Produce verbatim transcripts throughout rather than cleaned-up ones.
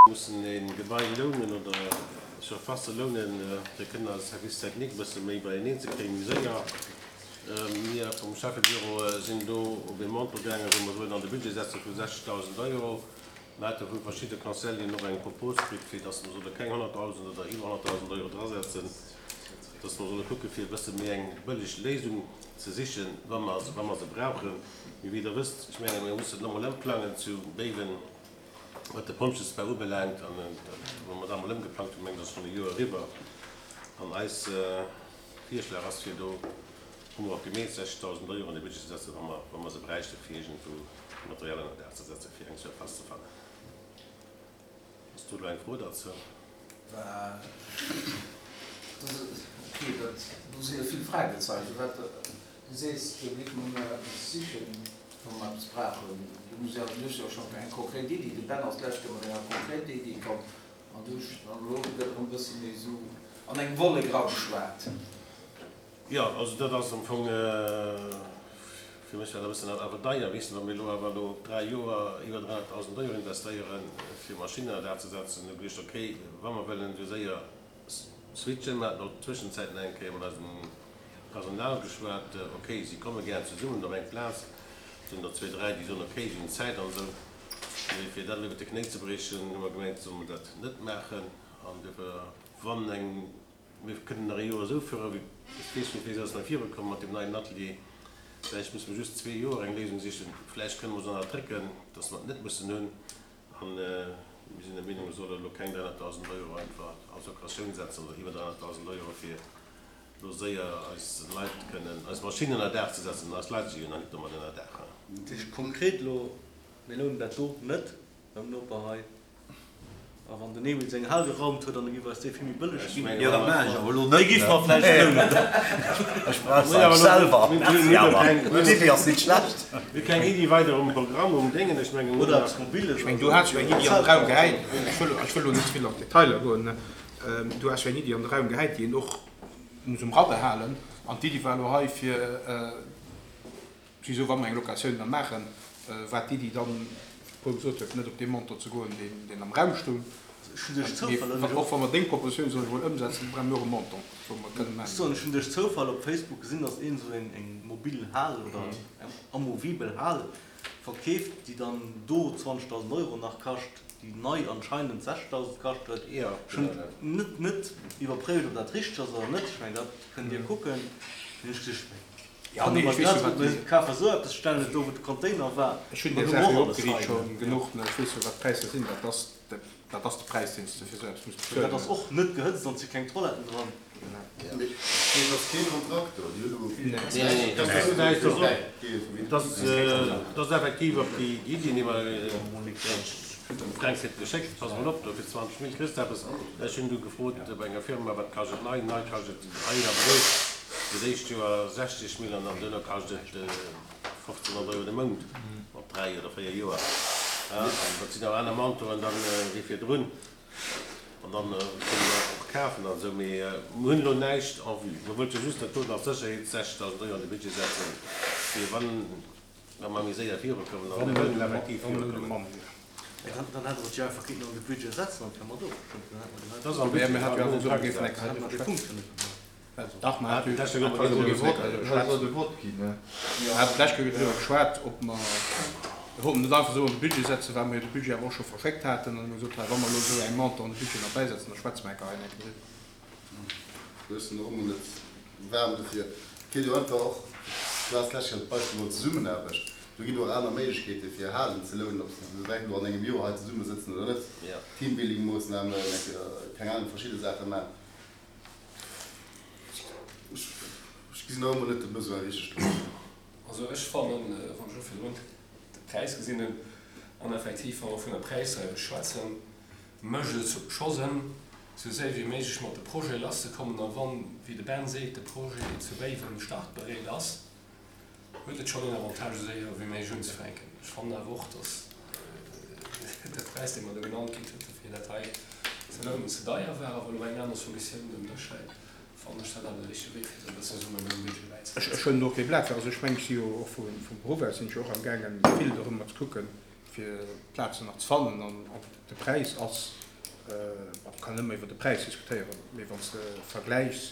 Mussen e Gebai lounen oder Surfacë lounen, fir kënnen eise Service technique e bësse méi beieneen ze kréien, méi séier. Mir vum Schäffebüro sinn do op ee Montant gaangen, wou mer soen an de Budget setze vu sechzegdausend Euro. Mir hate vu verschidde Conseilleren och eng Propos kritt, fir datt mer solle keng honnertdausend oder iwwer honnertdausend Euro drasetzen, datt mer solle kucke fir e bësse méi eng bëlleg Léisung ze sichen, wa mer wa mer se brauchen. Mee wéi Der wësst, ech menge mir mussen elo mol ëmplangen zu Béiwen, wat de Pompjeesbau ubelaangt, an wou mer da mol ëmgeplangt hunn, mengen ech, ass schonn e Joer eriwwer. An eis Virschlag ass fir do, hu mer och gemeet, sechzegdausend Euro an de Budget ze setzen, wa mer, wa mer se bräichten, fir iergendwou Material ënner Daach ze setzen, fir eng Surface ze fannen. Ass do elo eng Fro derzou? Ok, dat, do si jo vill Fragezeichen. Wat, du sees, do géife mer eppes sichen, wa mer eppes brauchen. Du muss jo, du hues jo schonn eng konkret Iddi. De Ben ass d'lescht Kéier mat enger konkret Iddi komm an du, an elo gëtt erëm e bësse méi esou an eng Wollek erageschwat. Jo, also dat ass am Fong, fir mech war dat e bëssen awer deier, weess de, wa mir elo awer elo op dräi Joer iwwer dräihonnertdausend Euro investéieren, fir Maschinnen an dat ze setzen, hu geduecht, okay, wa mer wëllen esou séier switchen, mer haten och tëschenzäit nach eng Kéier mat eisem Personal geschwat, okay, si komme gären zesummen op eng Plaz, et sinn der zwee, dräi, déi soen, okay, si hunn Zäit an esou, mee fir dat elo iwwer de Knéi ze briechen, hu mer gemengt, solle mer dat net maachen an duerfir, wann eng, mir kënnen nach ee Joer esou fueren, wéi, ech weess net, wéi se ass nach virukomm mat deem neien Atelier, vläicht musse mer just zwee Joer eng Léisung sichen, vläicht kënne mer se nach drécken, dass mer et net mussen hunn an mir sinn der Meenung, mer solle elo keng dräihonnertdausend Euro einfach als Locatioun setzen oder iwwer dräihonnertdausend Euro fir elo séier eis Leit kënnen, eis Maschinen ënner Daach ze setzen, eis Leit si jo nach nik domat ënner Daach. Dat heescht konkret elo, mir lounen dat do net beim Noper hei, a wann den Emil seng Hal geraumt huet an e giff eis déi vill méi bëlleg ginn, Jo, dat maachen ech awer elo net, déi giffe mer vläicht lounen. Ech brauch se eigentlech selwer. Merci awer, d'Iddi ass nit schlecht. Mir hu keng Iddi weider um Programm, um Déngen, ech mengen, Oder eppes Mobiles. Ech mengen, du has jo eng Iddi an de Raum gehäit, ech wëll, ech wëll elo net ze vill an d'Detailer goen, du has jo eng Iddi an de Raum gehäit, déi een och muss um Radar halen. An d'Iddi war elo hei fir, souwisou wa mer eng Locatioun da maachen, war d'Iddi dann, wéi de Paul gesot huet, net op dee Montant ze goen, deen, deen am Raum stoung. Ech hunn duerch Zoufall, Mee och wa mer deng Propositioun, soen ech emol, ëmsetzen, brauche mir och e Montant, wou mer kënnen Ech soen, ech hunn duerch Zoufall op Facebook gesinn, datt een esou eng, eng mobil Hal oder eng amovibel Hal verkeeft, déi dann do zwanzegdausend Euro nach kascht, déi nei anscheinend sechzdausend kascht huet. Ech hunn net net iwwerpréift, ob dat richteg ass oder net. Ech mengen, dat kënnt Dir kucken. Hunn ech geduecht, Ja, nee, ech weess jo, wat déi. Kafe sou eppes, stellen et do, wou de Container war. Ech hunn déi Saach jo opgeriicht scho genuch, ne. Ech weess jo, wat d'Präisser sinn. Dat ass, dat ass de Präis, deen s de fir sou eppes muss bezuelen. Dat ass och net gehëtzt an et si keng Toiletten dran. Mee et ass kee Kontrakt do, déi hunn elo. Nee, nee, dat ass näischt. Dat ass, dat ass effektiv op déi Iddi, déi mer dem Fränk huet geschéckt, Pass mol op, do fir zwanzeg Mille kriss de eppes. Ech hunn du gefrot bei enger Firma, wat kascht et nei? Nei kascht et hei a Bréif fir d'éischt Joer sechzeg Mille an dann duerno kascht et fofzénhonnert Euro de Mount op dräi oder véier Joer. An dat sinn awer aner Montanten dann wéi virdrun. An dann kënne mer och kafen an esou. Mee mir hunn elo näischt en vue. Mir wollte just dat doten als Sécherheet sechzdausend Euro an de Budget setzen, fir wann wa mer méi séier virukommen. An mir wëllen effektiv virukommen. Dann hätte mer et jo einfach kéinten an de Budget setzen an d'wär mat ofgestëmmt. Dann hätte mer Dat ass am Budget. Mir Dann hätte mer dee Punkt jo net gemaach. Dach, mer haten d'lescht Kéier driwwer geschwat, ob mer, mir wollten net einfach esou an de Budget setzen, well mer jo de Budget awer och scho verschéckt haten an hu gesot, hei, wa mer elo esou eng Montant an de Budget nach bäisetzen, da schwätze mer enker hei enker driwwer. Ech sinn och emol net waarm dofir. Et kéint jo einfach och, du has d'lescht Kéier d'Beispill geholl, Zesummenaarbecht, do ginn och aner Méiglechkeete fir Halen ze lounen, ob se direkt elo an engem Joer hei zesummesëtzen oder net, Teambuilding-Moossnamen, keng Ahnung, verschidde Saache maachen. Ech gesinn nach ëmmer net de Besoin richteg dran. Also ech fannen, wann ech elo virdrun de Präis gesinn hunn, an effektiv wa mer vun der Präisdreiwesch schwätzen, mécht et scho Sënn, esou séier wéi méiglech mat de Projete lasszekommen. A wann, wéi de Ben seet, de Projet zu Béiwen startbereet ass, huet et schonn een Avantage, esou séier wéi méiglech unzefänken. Ech fannen awer och, dass de Präis, dee mer do genannt kritt hunn, fir dat hei ze lounen, ze deier war. A wa lo eng aner Solutioun um Dësch läit, fannen ech dat awer de richtege Wee, fir se e bësse Summen um Budget bäizesetzen. Ech hunn och kee Blat fir. Also ech mengen, ech si jo och vum Beruff aus sinn ech jo och amgaangen, vill dorëmmer ze kucken, fir Plazen nach ze fannen. An de Präis ass Bon, kann ëmmer iwwer de Präis diskutéieren, mee wann s de vergläichs,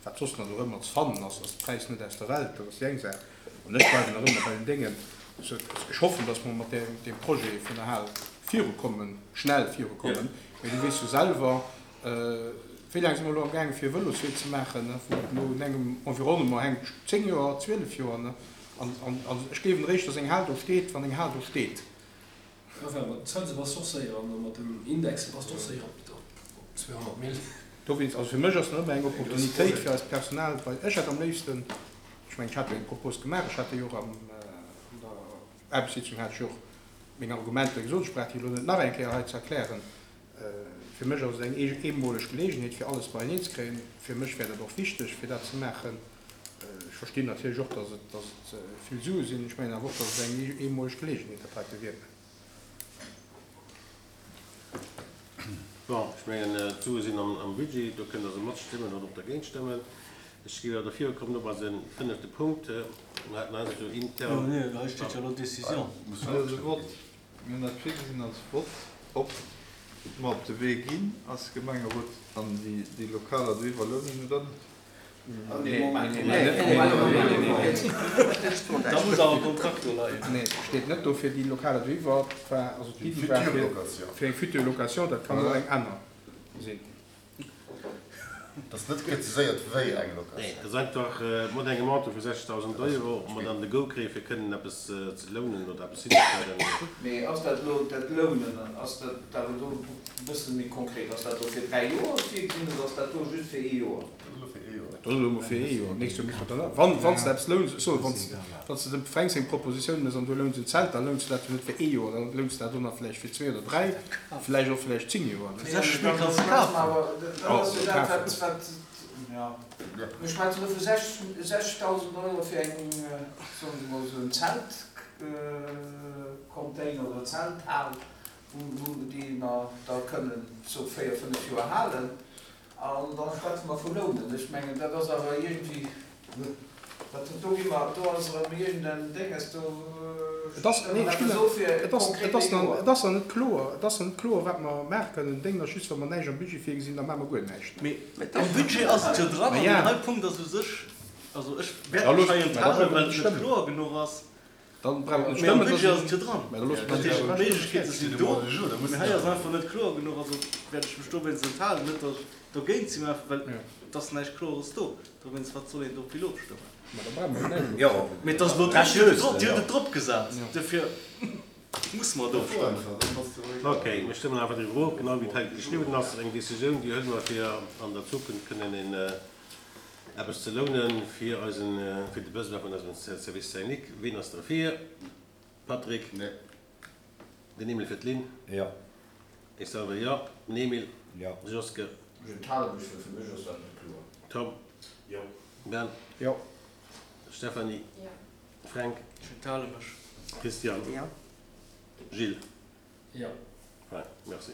wat soss nach dorëmmer ze fannen ass, ass de Präis net aus der Welt. Dat ass déi eng Saach. An ech bleiwen nach ëmmer bei den Déngen. Ech hoffen, dass mer mat deem Projet vun der Hal virukommen, schnell virukommen. Mee du weess jo selwer, wéi laang si mer elo amgaangen, fir e Vëloswee ze maachen, wou et elo un engem Environnement hänkt, zéng Joer, zwielef Joer. An ech gleewen eréischt, dass eng Hal do steet, wann eng Hal do steet. Enfin, mat den Zënse bass de och séier an mat dem Index bass de och séier op zweehonnert Mille. Dowéinst, also fir mech ass nach ëmmer eng Opportunitéit fir eist Personal, well ech hätt am léifsten, ech mengen, ech hat jo eng Propos gemaach, ech hat déi och an der Aarbechtssitzung hat ech jo och meng Argumenter gesot, ech brauch déi elo net nach eng Kéier hei ze erklären. Fir mech ass et eng eemoleg Geleegenheet fir alles beieneen ze kréien. Fir mech wär dat och wichteg fir dat ze maachen. Ech verstinn natierlech och, dass et, dass et vill Sue sinn. Ech mengen awer och, dass et eng eemoleg Geleegenheet dat heite wier. Bon, ech mengen, d'Sue sinn am Budget, do kënnt Der se matstëmmen oder och dergéint stëmmen. Ech géif awer derfir kommen op eise fënnefte Punkt. Mir haten eis jo intern. Jo, nee, hei steet jo elo Décision. Mir hunn dat virgesinn als Vott, ob mer op de Wee ginn als Gemengerot an déi Lokaler do iwwerlounen oder net. Da muss awer e Kontrakt do leien. Nee, steet net do fir déi Lokaler do iwwer. Et war also d'Iddi war fir eng future location, dat kann och eng aner sinn. Et ass net präziséiert, wéi eng Locatioun. Nee, et ass einfach mat engem Montant vu sechstausend Euro, ob mer dann de Go kréien, fir kënnen eppes ze lounen oder eppes hinzestellen. Mee ass dat elo, dat Lounen, ass dat awer do e bësse méi konkret? Ass dat elo fir dräi Joer virgesinn oder ass dat do just fir ee Joer? Dat ass elo emol fir ee Joer. D'nächst Joer muss mer dann, wann, wann s de eppes louns, ech soen, wann s, wann s de dem Fränk seng Propositioun méchs an du louns en Zelt, da louns de dat jo net fir ee Joer, da louns de dat och nach vläicht fir zwee oder dräi, vläicht och vläicht zéng Joer. Fir sechs Méint kanns de kafen. Dat ass jo dat, wat, wat, jo. Mir schwätzen elo vu sechstausend Euro fir eng, soen ech emol, esou en Zeltcontainer oder Zelthal, wou, wou déi mer da kënnen sou véier, fënnef Joer halen. An da schwätze mer vu Lounen. Ech mengen, dat ass awer iergendwéi, dat, do gi mer, do ass erëm iergend en Dénges, do Et ass, stëmme nee, mer ech eppes ginn, of fir et ass, et konkret ass ee nach, Joer. et ass nach net kloer, et ass nach net kloer, wat mer maache kënnen. Den Déngen ass just, wa mer näischt am Budget virgesinn, da maache mer guer näischt. Mee am Budget ass et jo dran. Ma An ja. deen hei Punkt ass u sech, also ech Da wäert mech loosse hei mer, da enthalen, brauche mer well net et net stëmmen. kloer genuch ass. Dann brauche mer net Mee am stëmmen, da Budget ass et sinn, jo dran. mä da loosse mer Dat dat heescht, awer d'Méiglechkeete stëmmen. sinn do, mee hei ass einfach net kloer genuch. Also wäert ech mech dowéinst enthalen. Net datt ech dogéint sinn, mä einfach well et ass näischt Klores do. Dowéinst, wat soll een do vill ofstëmmen? Mä da brauche mer näischt Jo. ofstëmmen. Mee et ass elo drop, Dir hutt et drop, Dir hutt et dropgesat, dofir musse mer et ofstëmmen. Okay, mir stëmmen einfach driwwer of, genau wéi et hei geschriwwen ass. Eng Décisioun, déi huele mer, fir an der Zukunft kënnen een eppes ze lounen fir eisen, fir de Besoin vun eisem Service technique. Ween ass derfir? Patrick? Nee. Den Emil fir d'Lynn? Jo. Ech selwer jo. Den Emil? Jo. Joske? Ech enthale mech, well fir mech ass dat net kloer. Tom? Jo. Ben? Jo. Stéphanie? Jo. Fränk? Ech enthale mech. Christian? Jo. Gilles? Jo. Fein, merci.